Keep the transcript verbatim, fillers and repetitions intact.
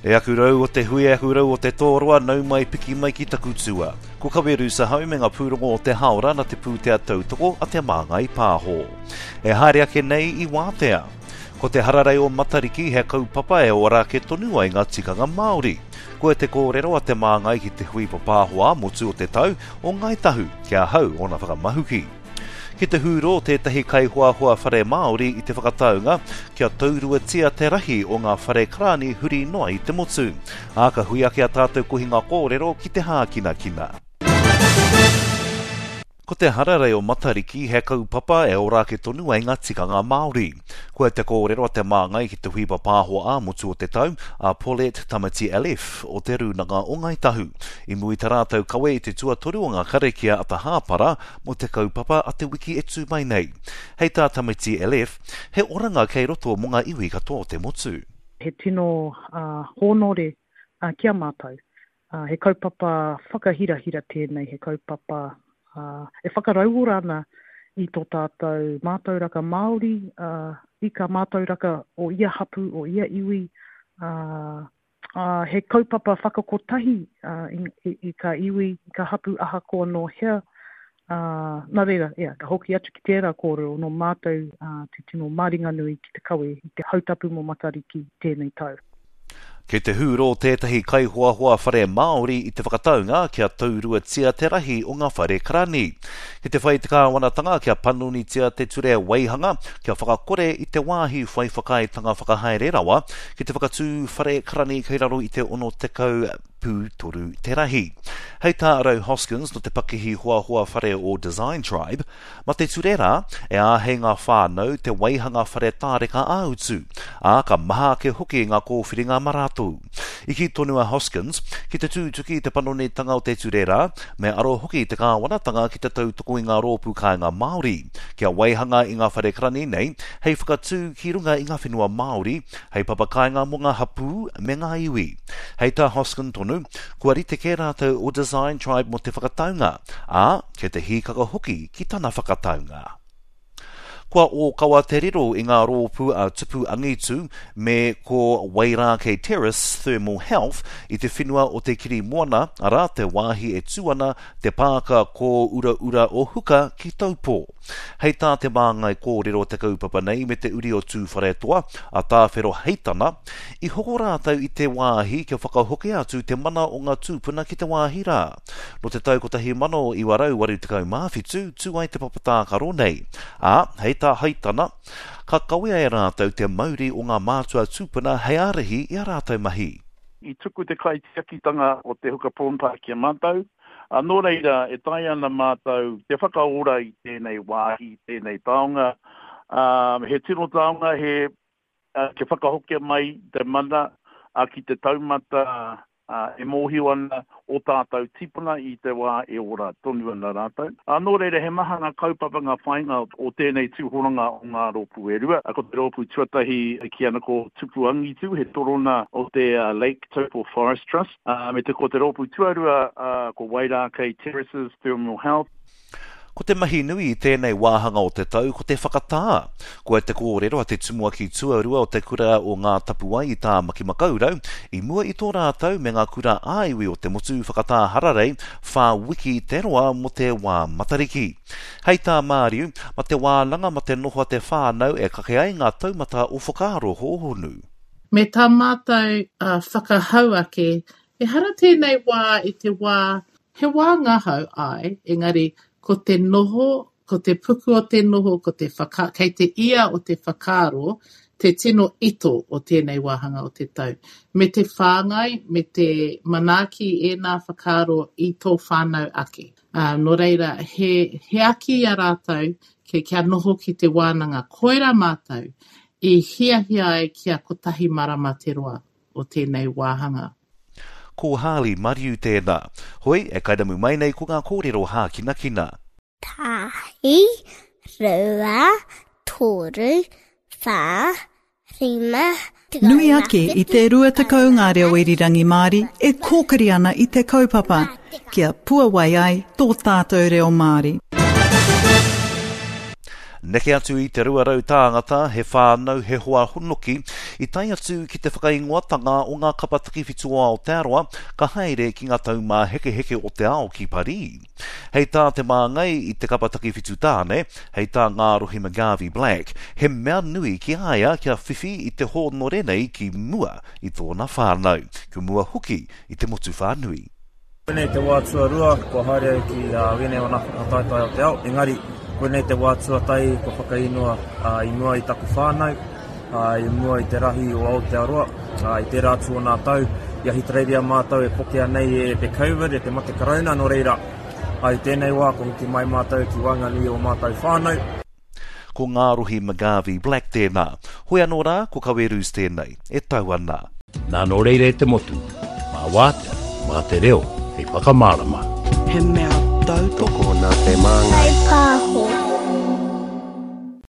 E aku rau o te hui, e aku rau o te tōroa, nau mai piki mai ki taku tua. Ko Kaweru Sahau me ngā pūrongo o te haora na te pūtea tautoko a te Māngai Pāho. E haere ake nei i wātea. Ko te hararei o Matariki he kaupapa e ora ake tonu ai ngā tikanga Māori. Ko te kōrero a te Māngai ki te hui papāho ā-motu o te tau o Ngāi Tahu, kia hau ona whakamahuki. Ki te hūro tētahi kaihoahoa whare Māori i te whakataunga kia tauruatia te rahi o ngā whare karani huri noa i te motu. Ā, ka hui ake a tātou kohinga kōrero ki te hākinakina. Ko te hararei o Matariki he kaupapa e ora ake tonu ai ngā tikanga Māori. Ko te kōrero a te Māngai ki te hui papāho ā-motu o te tau, a Paulette Tamati Aleph o te Rūnanga o Ngāi Tahu. I mua i tā rātou kawe i te tuatoru o ngā karakia a te hāpara mō te kaupapa a te wiki e tū mai nei. Hei tā Tamati Aleph, he oranga kei roto mō ngā iwi katoa o te motu. He tino uh, hōnore uh, ki a mātou. Uh, he kaupapa whakahirahira tēnei, he kaupapa Uh, e whakarauora ana i tō tātou mātauraka Māori, uh, i ka mātauraka o ia hapu, o ia iwi, uh, uh, he kaupapa whakakotahi uh, i, i, i ka iwi, i ka hapu ahakoa nō hea. Uh, nā reira, yeah, ka hoki atu ki tērā kōrero nō mātou uh, te tino māringanui ki te kawe i te hautapu mō Matariki tēnei tau. Kei te hūro tētahi kaihoahoa whare Māori i te whakataunga kia tauruatia te rahi o ngā whare karani. Ki te whai te kāwanatanga kia panonitia te ture waihanga, kia whakakore i te wāhi whai whakaaetanga whakahaere rawa, ki te whakatū whare karani kei raro i te ono tekau pūtoru te rahi. Hei tā Rau Hoskins no te pakihi hoahoa whare o Design Tribe, ma te ture rā, e āhei ngā whānau te waihanga whare tāreka ā-utu, ā ka maha ake hoki ngā kōwhiringa mā rātou. I kī tonu a Hoskins, ki te tūtuki te panonitanga o te ture rā, me aro hoki te kāwanatanga ki te tautoko i ngā rōpū kāinga Māori, kia waihanga i ngā whare karani nei, hei whakatū ki runga i ngā whenua Māori, hei papakāinga mō ngā hapū me ngā iwi. Hei tā Hoskin tonu, kua rite kē rātou o Design Tribe mō te whakataunga, ā, kei te hīkaka hoki ki tana whakataunga. Kua ōkawa te riro i ngā rōpū a Tupu Angitu me ko Wairākei Terrace Thermal Health i te whenua o te Kiri Moana, arā te wāhi e tū ana te pāka ko Ura Ura o Huka ki Taupō. Hei tā te māngai kōrero te kaupapa nei me te uri o Tūwharetoa, a Tāwhero Heitana, i hoko rātou i te wāhi kia whakahoki atu te mana o ngā tūpuna ki te wāhi rā. No te tau kotahi mano iwa rau waru tekau mā whitu, tū ai te papatākaro nei. Ā, hei tā Heitana, ka kawea e rātou te mauri o ngā mātua tūpuna hei ārahi i a rātou mahi. I tuku te kaitiakitanga o te Huka Prawn Park ki a mātou, a nō reira e tae ana mātou te whakaora i tēnei wāhi, tēnei taonga. Um, he tino taonga, he uh, kia whakahokia mai te mana uh, ki te taumata uh, e mōhio ana o tātou tipuna i te wā e ora tonu ana rātou. Uh, nō reira, he maha ngā kaupapa ngā whāinga o tēnei tūhoranga o ngā rōpū e rua. Ko te rōpū tuatahi e kī ana ko Tupu Angitu, he torona o te uh, Lake Taupo Forest Trust. Uh, me te ko te rōpū tuarua uh, ko Wairākei Terraces Thermal Health. Ko te mahi nui i tēnei wāhanga o te tau ko te whakatā. Ko te kōrero a te tumuaki tuarua o te kura o Ngā Tapuwae i Tāmaki Makaurau, i mua i tō rātou me ngā kura ā-iwi o te motu whakatā hararei, whā wiki te roa mō te wā Matariki. Hei tā Māriu, ma te wānanga ma te noho a te whānau e kake ai ngā taumata o whakaaro hōhonu. Me tā mātou uh, whakahau ake, ehara tēnei wā i te wā, he wā ngahau ai, engari ko te noho, ko te puku o te noho, ko te whaka, kei te ia o te whakaaro, te tino ito o tēnei wāhanga o te tau. Me te whāngai, me te manaaki ēnā whakaaro i tō whānau ake. Uh, nō reira, he, he aki i a rātou ke, kia noho ki te wānanga. Koira mātou i hiahia ai kia kotahi marama te roa o tēnei wāhanga. Ko Harley Mariu tēnā. Hoi, e kairamu mai nei ko ngā kōrero hākinakina. Tahi, rua, toru, whā, rima, Nui ake i te rua tekau ngā reo irirangi Māori e kōkiri ana i te kaupapa, kia puawai ai tō tātou reo Māori. Neke atu i te rua rau tāngata, he whānau, he hoa honoki, I tae atu ki te whakaingoatanga o ngā kapa takiwhitu o Aotearoa, ka haere ki ngā taumāhekeheke o te ao ki Parī. Hei tā te māngai i te kapa takiwhitu tāne, hei tā Ngārohi McGarvey-Black, he mea nui ki a ia kia whiwhi i te hōnore nei ki mua i tōna whānau, ki mua hoki i te motu whānui. Koinei te wā tuarua kua haere au ki wēnei o ngā whakataetae o te ao, engari koinei te wā tuatahi kua whakaingoa i mua i taku whānau, i mua i te rahi o Aotearoa, i tērā atu o nā tau, i Ahitereiria mātou e pokea nei e te Covid, e te mate karauna, nō reira, i tēnei wā kua hoki mai mātou ki waenganui i ō mātou whānau. Ko Ngārohi McGarvey-Black tēnā. Hoi anō rā, ko Kawerus tēnei, e tau ana. Nā nō reira e te motu, mā wātea, mā te reo, hei whakamārama. He mea tautoko nā te māngai. Pāho.